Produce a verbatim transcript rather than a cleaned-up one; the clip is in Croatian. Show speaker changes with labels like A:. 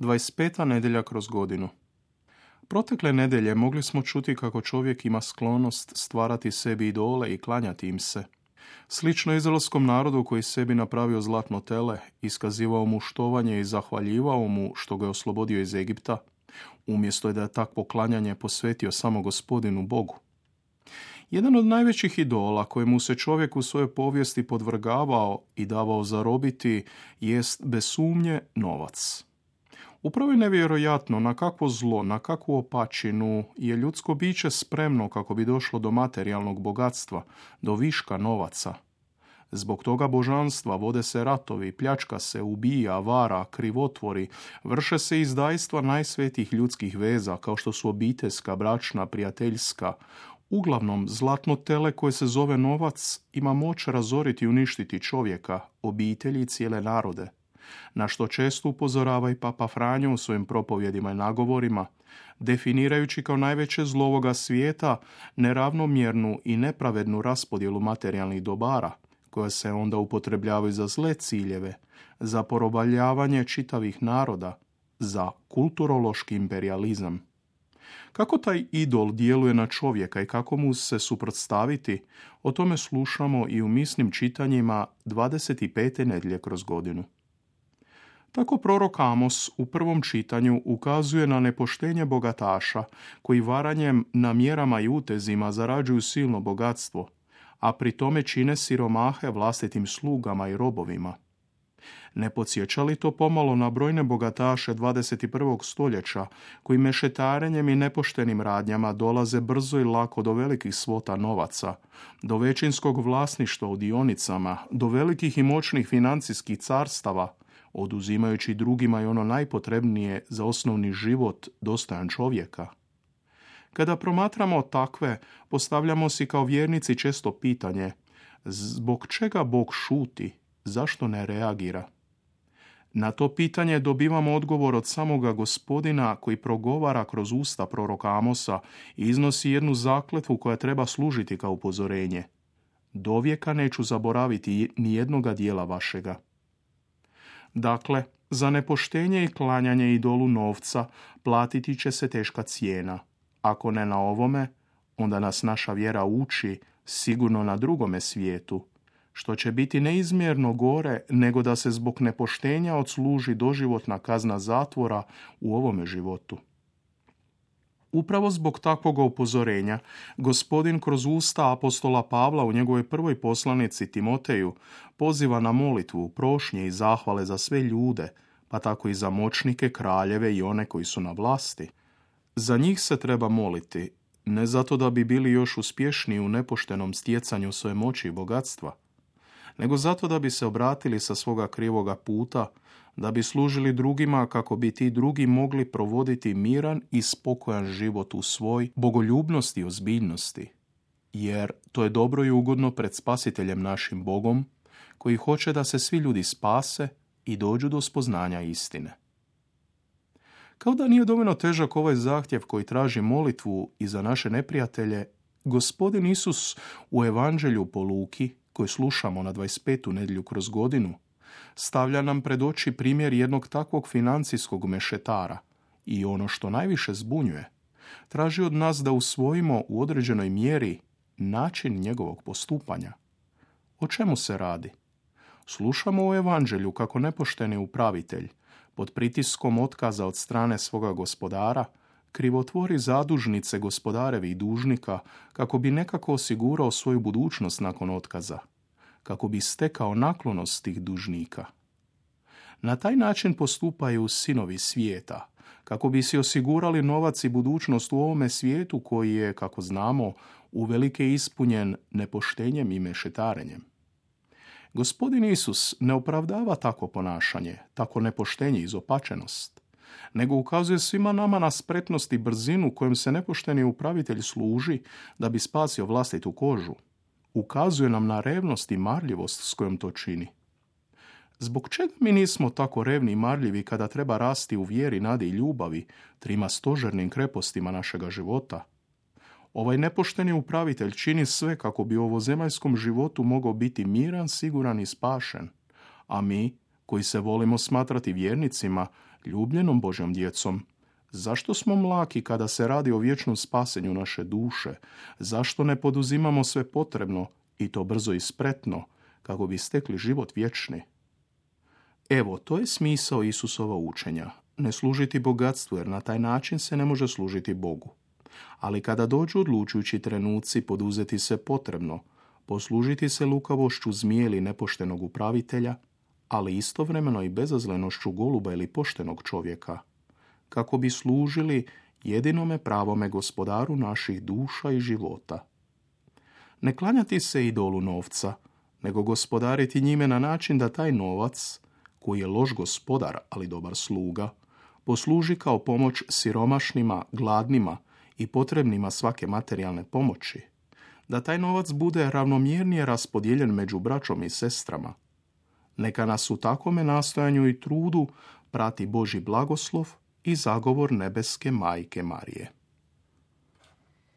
A: dvadeset peta nedjelja kroz godinu. Protekle nedjelje mogli smo čuti kako čovjek ima sklonost stvarati sebi idole i klanjati im se. Slično izraelskom narodu koji sebi napravio zlatno tele, iskazivao mu štovanje i zahvaljivao mu što ga je oslobodio iz Egipta, umjesto je da je takvo klanjanje posvetio samo Gospodinu Bogu. Jedan od najvećih idola kojemu se čovjek u svojoj povijesti podvrgavao i davao zarobiti jest bez sumnje novac. Upravo je nevjerojatno na kakvo zlo, na kakvu opačinu je ljudsko biće spremno kako bi došlo do materijalnog bogatstva, do viška novaca. Zbog toga božanstva vode se ratovi, pljačka se, ubija, vara, krivotvori, vrše se izdajstva najsvetijih ljudskih veza kao što su obiteljska, bračna, prijateljska. Uglavnom, zlatno tele koje se zove novac ima moć razoriti i uništiti čovjeka, obitelji i cijele narode. Na što često upozorava i Papa Franjo u svojim propovjedima i nagovorima, definirajući kao najveće zlo ovoga svijeta neravnomjernu i nepravednu raspodjelu materijalnih dobara, koja se onda upotrebljavaju za zle ciljeve, za porobaljavanje čitavih naroda, za kulturološki imperializam. Kako taj idol djeluje na čovjeka i kako mu se suprotstaviti, o tome slušamo i u misnim čitanjima dvadeset pete nedjelje kroz godinu. Tako prorok Amos u prvom čitanju ukazuje na nepoštenje bogataša koji varanjem, namjerama i utezima zarađuju silno bogatstvo, a pri tome čine siromahe vlastitim slugama i robovima. Ne podsjeća li to pomalo na brojne bogataše dvadeset prvog stoljeća koji mešetarenjem i nepoštenim radnjama dolaze brzo i lako do velikih svota novaca, do većinskog vlasništva u dionicama, do velikih i moćnih financijskih carstava, oduzimajući drugima i ono najpotrebnije za osnovni život dostojan čovjeka? Kada promatramo takve, postavljamo si kao vjernici često pitanje: zbog čega Bog šuti, zašto ne reagira? Na to pitanje dobivamo odgovor od samoga Gospodina koji progovara kroz usta proroka Amosa i iznosi jednu zakletvu koja treba služiti kao upozorenje. Dovijeka neću zaboraviti ni jednoga dijela vašega. Dakle, za nepoštenje i klanjanje idolu novca platiti će se teška cijena. Ako ne na ovome, onda nas naša vjera uči sigurno na drugome svijetu, što će biti neizmjerno gore nego da se zbog nepoštenja odsluži doživotna kazna zatvora u ovome životu. Upravo zbog takvog upozorenja, Gospodin kroz usta apostola Pavla u njegovoj prvoj poslanici Timoteju poziva na molitvu, prošnje i zahvale za sve ljude, pa tako i za moćnike, kraljeve i one koji su na vlasti. Za njih se treba moliti, ne zato da bi bili još uspješniji u nepoštenom stjecanju svoje moći i bogatstva, nego zato da bi se obratili sa svoga krivoga puta, da bi služili drugima kako bi ti drugi mogli provoditi miran i spokojan život u svoj bogoljubnosti i ozbiljnosti. Jer to je dobro i ugodno pred Spasiteljem našim Bogom, koji hoće da se svi ljudi spase i dođu do spoznanja istine. Kao da nije dovoljno težak ovaj zahtjev koji traži molitvu i za naše neprijatelje, Gospodin Isus u Evanđelju po Luki, koji slušamo na dvadeset petu nedjelju kroz godinu, stavlja nam pred oči primjer jednog takvog financijskog mešetara i ono što najviše zbunjuje, traži od nas da usvojimo u određenoj mjeri način njegovog postupanja. O čemu se radi? Slušamo u Evanđelju kako nepošteni upravitelj, pod pritiskom otkaza od strane svoga gospodara, krivotvori zadužnice gospodarevih dužnika kako bi nekako osigurao svoju budućnost nakon otkaza, kako bi stekao naklonost tih dužnika. Na taj način postupaju sinovi svijeta, kako bi si osigurali novac i budućnost u ovome svijetu koji je, kako znamo, uvelike ispunjen nepoštenjem i mešetarenjem. Gospodin Isus ne opravdava takvo ponašanje, tako nepoštenje i izopačenost, nego ukazuje svima nama na spretnost i brzinu kojom se nepošteni upravitelj služi da bi spasio vlastitu kožu. Ukazuje nam na revnost i marljivost s kojom to čini. Zbog čega mi nismo tako revni i marljivi kada treba rasti u vjeri, nadi i ljubavi, trima stožernim krepostima našega života? Ovaj nepošteni upravitelj čini sve kako bi u ovozemaljskom životu mogao biti miran, siguran i spašen, a mi, koji se volimo smatrati vjernicima, Ljubljenom Božjom djecom, zašto smo mlaki kada se radi o vječnom spasenju naše duše? Zašto ne poduzimamo sve potrebno, i to brzo i spretno, kako bi stekli život vječni? Evo, to je smisao Isusova učenja. Ne služiti bogatstvu, jer na taj način se ne može služiti Bogu. Ali kada dođu odlučujući trenuci poduzeti se potrebno, poslužiti se lukavošću zmije ili nepoštenog upravitelja, ali istovremeno i bezazlenošću goluba ili poštenog čovjeka, kako bi služili jedinome pravome gospodaru naših duša i života. Ne klanjati se idolu novca, nego gospodariti njime na način da taj novac, koji je loš gospodar, ali dobar sluga, posluži kao pomoć siromašnima, gladnima i potrebnima svake materijalne pomoći, da taj novac bude ravnomjernije raspodijeljen među braćom i sestrama. Neka nas u takvome nastojanju i trudu prati Božji blagoslov i zagovor nebeske Majke Marije.